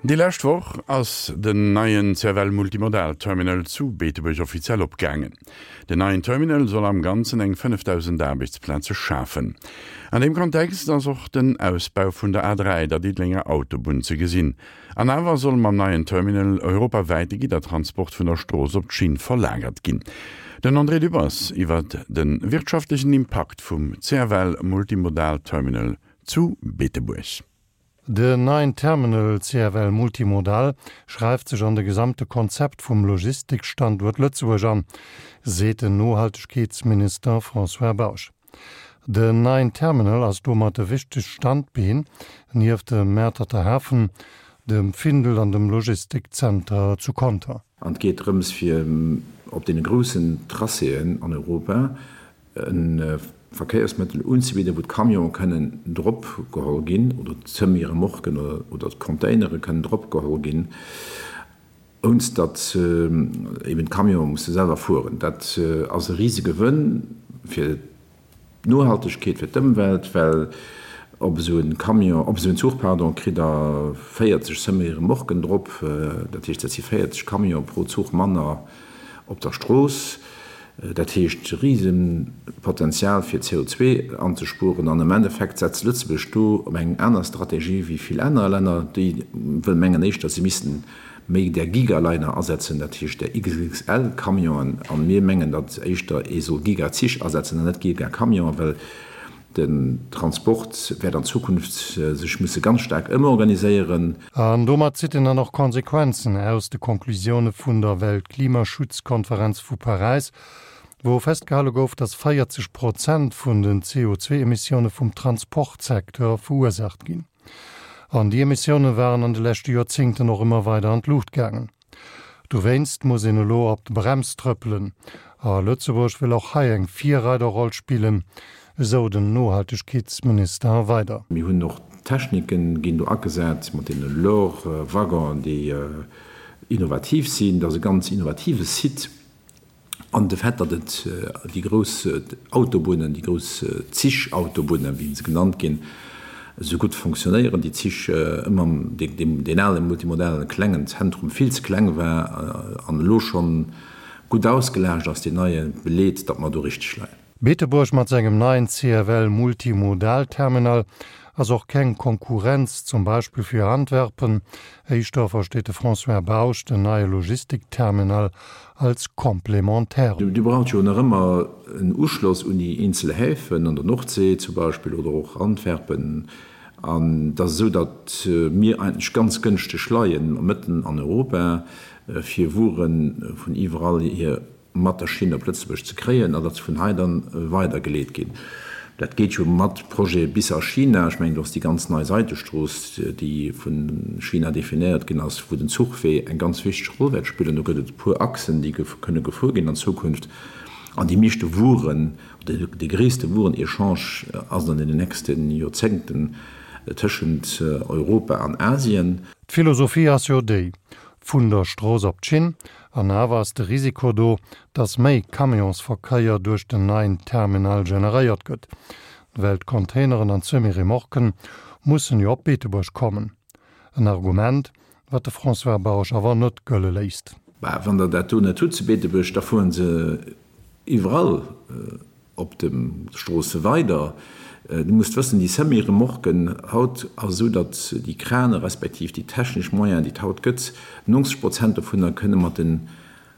Déi lescht Woch ass den neien CFL Multimodal Terminal zu Beetebuerg offiziell opgaangen. Den neien Terminal soll am Ganzen eng 5.000 Aarbechtsplaze schafen. An deem Kontext ass och den Ausbau vun der A3, der Diddelenger Autobunn, ze gesinn. An awer soll mam neien Terminal europawäit de Giddertransport vun der Strooss op d'Schinn verlagert ginn. Den André Dübbers iwwer de wirtschaftlechen Impakt vum CFL Multimodal Terminal zu Beetebuerg. Den neien Terminal CFL Multimodal schreift sech an de gesamte Konzept vum Logistikstanduert Lëtzebuerg an, seet den Nohaltegkeetsminister François Bausch. Den neien Terminal ass domat e wichtegt Standbeen nieft dem Mäerterter Hafen, dem Findel an dem Logistikzenter zu Conter. An et geet drëms fir op deene groussen Tracéen an Europa e Verkéiersmëttel unzebidden, wou d'Camionë kënnen drop geholl ginn oder d'Semi-Remorquen oder d'Containere kënnen drop geholl ginn, ounst datt eben d'Camionë musse selwer fueren. Dat ass e Risegewënn fir d'Nohaltegkeet, fir d'Ëmwelt, well op esou e Camion, op esou en Zuch, pardon, kritt Der 40 Semi-Remorquen drop. Dat heescht, dat si 40 Camione pro Zuch manner op der Strooss. Dat heescht Risepotenzial fir CO2 anzespueren. An am Endeffekt setzt Lëtzebuerg do op eng aner Strategie wéi vill aner Länner, déi wëll mengen éischter, se missten méi där Gigaliner asetzen, dat heescht där XXL-Camionen. A mir mengen, datt éischter ee soll Gigazich asetzen an net Gigacamionen, well Den Transport wäert an Zukunft sech musse ganz staark ëmorganiséieren. An domat zitt en dann och Konsequenzen aus de Konklusioune vun der Weltklimaschutzkonferenz vu Paräis, wou festgehale gouf, datt 40 Prozent vun den CO2-Emissioune vum Transportsecteur verursaacht ginn. An déi Emissioune waren an de leschte Joerzéngten och ëmmer weider an d'Luucht gaangen. Dowéinst muss een elo op d'Brems trëppelen. A Lëtzebuerg wëll och hei eng Virreiderroll spillen, esou den Nohaltegkeetsminister weider. Mir hunn och Techniken, ginn do agesat mat deene Lore-Waggonen, déi innovativ sinn. Dat ass e ganz innovative Site. An de Fait, datt et déi grouss Autobunnen, déi grouss Zich-Autobunnen, wéi se genannt ginn, esou gutt fonctionnéieren, déi Zich ëmmer deen ale multimodalen klengen Zentrum vill ze kleng war an elo schonn gutt ausgelaascht ass, deen neie beleet, datt mer do richteg leien. Beetebuerg mat sengem neien CFL Multimodal-Terminal ass och keng Konkurrenz zum Beispill fir Antwerpen. Éischter versteet de François Bausch den neie Logistikterminal als Complémentaire. Dir braucht jo nach ëmmer en Uschloss un déi eenzel Häfen an der Nordsee zum Beispill oder och Antwerpen. An et ass esou, datt mir eigentlech ganz gënschteg leien, mëtten an Europa, fir Wuere vun iwwerall hier mat der Schinn op Lëtzebuerg ze kréien an datt se vun hei dann weidergeleet ginn. Dat geet jo mat Projete bis a China. Ech mengen, do ass déi ganz nei Seidestrooss, déi vu China definéiert ginn ass, wou den Zuchwee eng ganz wichteg Roll wäert spillen. Do gëtt et e puer Achsen, déi kënne gefuer ginn an Zukunft. An déi meeschte Wueren, oder dee gréisste Wueren-Echange ass an deenen nächste Joerzéngten tëschent Europa an Asien. D'Philosophie ass jo déi, vun der Strooss op d'Schinn, An awer ass de Risiko do, dass méi Camionsverkéier duerch den neien Terminal generéiert gëtt, well d'Containeren an d'Semi-Remorquen mussen jo op Beetebuerg kommen. En Argument, wat de François Bausch awer net gëlle léisst. Bah, wann Der dat do net hutt zu Beetebuerg, da fueren se iwwerall Op de Stroosse weider. Du musst wëssen, déi Semi-Remorquen haut ass esou, datt déi Krane respektiv déi technesch Moyenen, déi et haut gëtt, 90 Prozent dovunner kënne mat de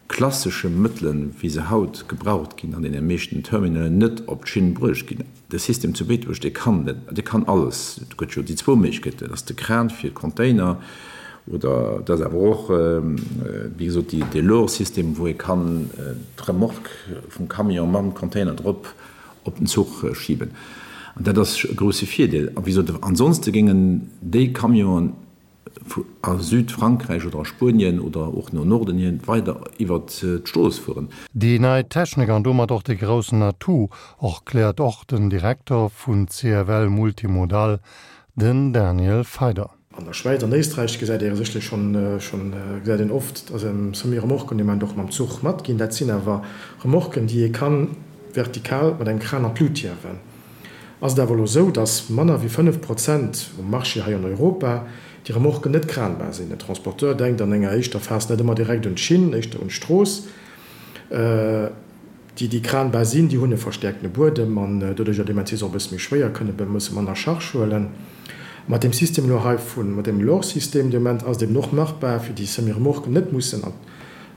klassesche Mëttelen, wéi se haut gebraucht ginn an deene meeschten Terminalen, net op d'Schinn bruecht ginn. De System zu Beetebuerg, dee kann dat, dee kann alles. Et gëtt jo déi zwou Méiglechkeeten, et ass de Kran fir d'Container oder et ass awer och, wéi gesot, dee Lor-System, wou ee kann d'Remorque vum Camion mam Container drop op den Zuch schiben. An dat ass e grousse Virdeel. A wéi gesot, ansonste géingen déi Camionen a Südfrankräich oder a Spuenien oder och no Norden hin weider iwwert d'Strooss fueren. Déi nei Technik an domat och de groussen Atout, erkläert och den Direkter vun CFL Multimodal, den Daniel Feider. An der Schwäiz an Éisträich gesäit ee sécherlech schonn, schonn gesäit een oft, dass Semi-Remorquen dee Moment och mam Zuch matginn. Dat sinn awer Remorquen, déi ee ka vertikal mat engem Kran an d'Lut hiewen. Ass et awer elo esou, dass manner wéi 5 Prozent um Marché hei an Europa. Déi Remorquen net kranbar sinn. Den Transporteur denkt an enger éischter Phas net ëmmer direkt un d'Schinn, éischter un d'Strooss. Déi, déi kranbar sinn, déi hunn e verstäerktene Buedem an doduercher deementsprechend si se och e bësse méi schwéier, kënne e bësse manner Charge huelen. Mat deem System elo hei vun, mat deem LOR-System de Moment ass et eben och machbar, fir déi Semi-Remorquen net mussen an,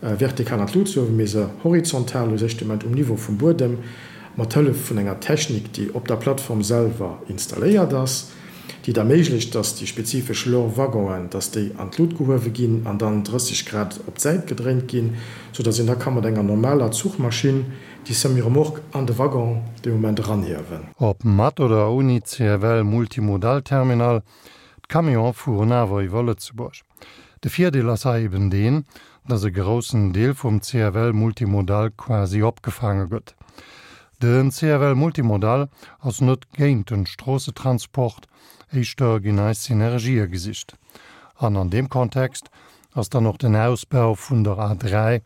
vertikal an d'Lut ze huewen, mee se horizontal u sech de Moment um Niveau vum Buedem mat Hëllef vun enger Technik, déi op der Plattform selwer installéiert ass, déi et erméiglecht, dass déi spezifesch Lor-Waggonen, dass déi an d'Lut gehuewe ginn an dann 30 Grad op d'Säit gedréint ginn, sou dass een da ka mat enger normaler Zuchmaschinn déi Semi-Remorque an de Waggon dee Moment eranhiewen. Ob mat oder ouni CFL Multimodal Terminal, d'Camionen fueren awer iwwer Lëtzebuerg. De Virdeel ass hei eben deen, dass e groussen Deel vum CFL Multimodal quasi opgefaange gëtt. Den CFL Multimodal ass net géint den Stroossetransport, éischter ginn hei Synergië gesicht. An an deem Kontext ass dann och den Ausbau vun der A3,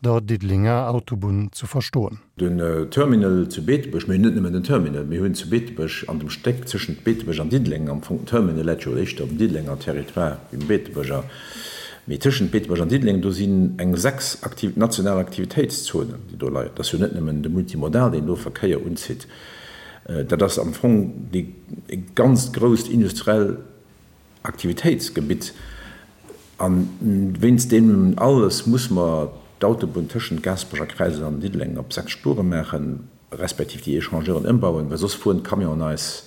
der Diddelenger Autobunn, ze verstoen. Den Terminal zu Beetebuerg, mir hunn net nëmmen den Terminal, mir hunn zu Beetebuerg an dem Stéck tëschent Beetebuerg an Diddeleng am Fong, den Terminal läit jo éischter um Diddelenger Territoire wéi um Beetebuerger, mee tëschent Beetebuerg an Diddeleng, do sinn eng 6 aktiv, national Aktivitéitszonen, déi do leien. Dat ass jo net nëmmen de Multimodal, deen do Verkéier unzitt, dat ass am Fong déi e ganzt grousst industriell Aktivitéitsgebitt. A wéinst deem alles muss mer d'Autobunn tëschent Gaasperech a Kräisel an Diddeleng op 6 Spuere maachen, respektiv déi Echangeuren ëmbauen, well soss fueren d'Camionen eis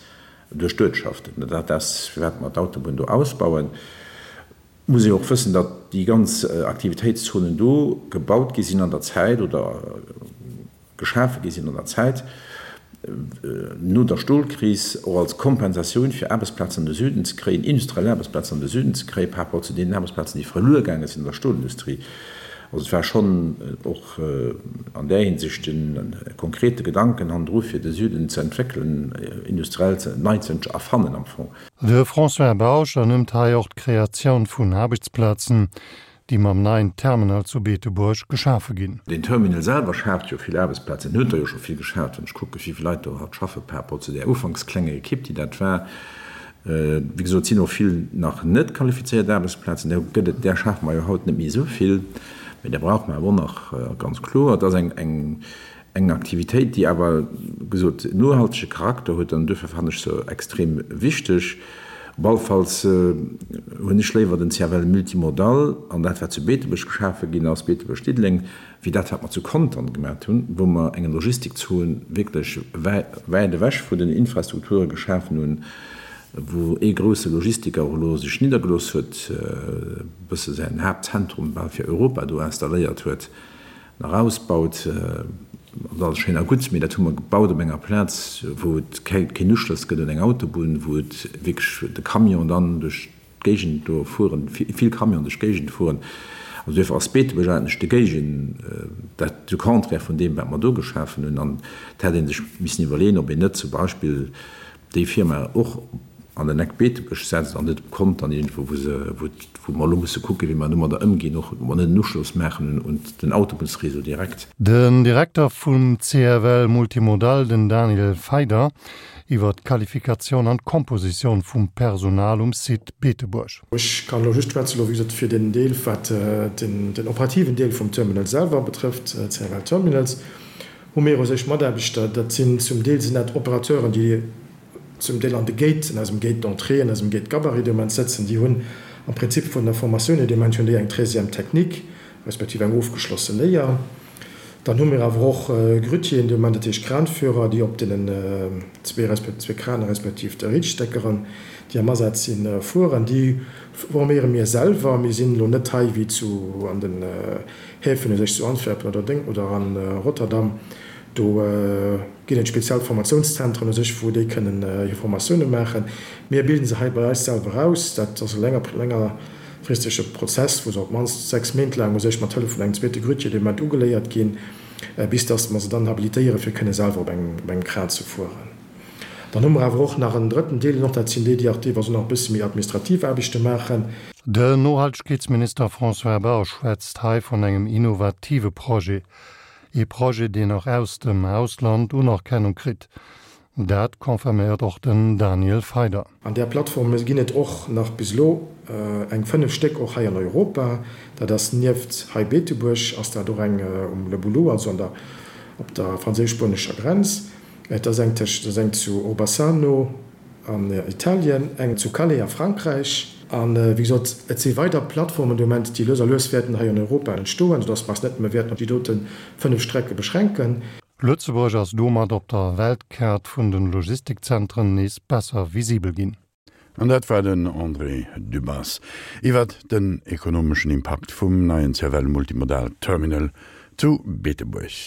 duerch d'Uertschaften. Dat ass, firwat mer d'Autobunn do ausbauen. Et muss ee och wëssen, datt déi ganz Aktivitéitszonen do gebaut gi sinn an der Zäit oder geschafe gi sinn an der Zäit no der Stolkris, och als Kompensatioun fir Aarbechtsplazen an de Süden ze kréien, industriell Aarbechtsplazen an de Süden ze kréien, par rapport zu deenen Aarbechtsplazen, déi verluer gaange sinn an der Stolindustrie. Also et war schonn och an där Hinsicht e konkrete Gedanken hannendru fir de Süden ze entwéckelen, industriell nei ze erfannen am Fong. De François Bausch ernimmt hei och d'Kreatioun vun Aarbechtsplazen, déi mam neien Terminal zu Beetebuerg geschafe ginn. Deen Terminal selwer schaaft jo vill Aarbechtsplazen, en huet der jo scho vill geschaaft, wann ech kucke wéi vill Leit do haut schaffe par rapport zu där ufanks klenger Ekipp, déi dat war. Wéi gesot, et sinn och vill nach net qualifizéiert Aarbechtsplazen, där gëtt et, där schafe mer jo haut net méi esou vill, mä där brauche mer awer och nach, ganz kloer. Et ass eng, eng Eng Aktivitéit, déi awer, wéi gesot, nohaltege Charakter huet an duerfir fannen ech se extrem wichteg. Op alle Falls hunn ech léiwer den CFL Multimodal an dat, wat zu Beetebuerg geschafe ginn ass, Beetebuerg-Diddeleng, wéi dat, wat mer zu Contern gemaat hunn, wou mer eng Logistikzon wierklech wäit ewech vun den Infrastrukture geschafen hunn, wou ee grousse Logistiker och elo sech niddergelooss huet, e bësse säin Haaptzentrum bal fir Europa do installéiert huet. Nach ausbaut, ass alles schéin a gutt, mee dat hu mer gebaut op enger Plaz, wou et keen Uschloss gëtt un eng Autobunn, wou et wierklech de Camion dann duerch d'Géigend do fueren, vill Camionen duerch d'Géigend fueren. Also duerfir ass Beetebuerg eigentlech de Géigen, dat de Contraire vun deem, wat mer do geschafen hunn. An et hätt ee sech missen iwwerleeën, ob een net zum Beispill déi Firma och an den Eck Beetebuerg setzt an net op Contern iergendwou, wou se, wou, wou mer elo musse kucken, wéi mer domadder ëmginn, och ob mer net en Uschloss maachen un den Autobunnsréseau direkt. Den Direkter vum CFL Multimodal, den Daniel Feider, iwwer d'Qualifikatioun an d'Kompositioun vum Personal um Site Beetebuerg. Ech kann elo just schwätzen, elo wéi gesot fir den Deel, wat den operativen Deel vum Terminal selwer betrëfft, CFL Terminals. Hu mir u sech Mataarbechter, dat sinn zum Deel sinn dat Operateuren, déi zum Deel an de Gate, an eisem Gate d'entrée, an eisem Gate Gabarit de Moment sëtzen, déi hunn am Prinzip vun der Formatioun hier de Moment hunn déi eng Treizième technique, respektiv eng ofgeschlosse Léier. Dann hu mir awer och Grutieren de Moment, dat heescht Kranführer, déi op deenen zwee, zwee Kraner respektiv de Reachstackeren, déi am Asaz sinn, fueren. Déi forméiere mir selwer. Mir sinn elo net hei wéi zu an den Häfen u sech zu Antwerpen oder Deng oder an Rotterdam, do ginn et speziell Formatiounszentren u sech, wou déi kënnen hir Formatioune maachen. Mir bilden se hei bei eis selwer aus. Dat ass e länger längerfristege Prozess, wou se op d'mannst 6 Méint laang u sech mat Hëllef vun engem zweete Grutier dee Moment ugeléiert ginn, bis datt mer se dann habilitéieren, fir kënne selwer op engem Kran ze fueren. Dann hu mer awer och nach en drëtten Deel, och dat sinn déi, déi och deelweis och nach e bësse méi administrativ Aarbechte maachen. Den Nohaltegkeetsminister François Bausch schwätzt hei vun engem innovative Projet. Ee Projet, deen och aus dem Ausland Unerkennung kritt. Dat confirméiert och den Daniel Feider. An där Plattforme ginn et och nach bis elo eng 5 Stéck och hei an Europa. Dat ass nieft hei Beetebuerg ass dat och eng um Le Boulou, also an der op der franséisch-spuenescher Grenz. Et ass eng tëscht, et ass eng zu Orbassano an Italien, eng zu Calais a Frankräich. A wéi gesot, et si weider Plattformen de Moment, déi lues a lues wäerten hei an Europa entstoen, soudass mer eis net nëmme wäerten op déi dote 5 Strecke beschränken. Lëtzebuerg ass domat op der Weltkaart vun de Logistikzentren nees besser visibel ginn. An dat war den André Dübbers iwwert den ekonomeschen Impakt vum neien CFL Multimodal Terminal zu Beetebuerg.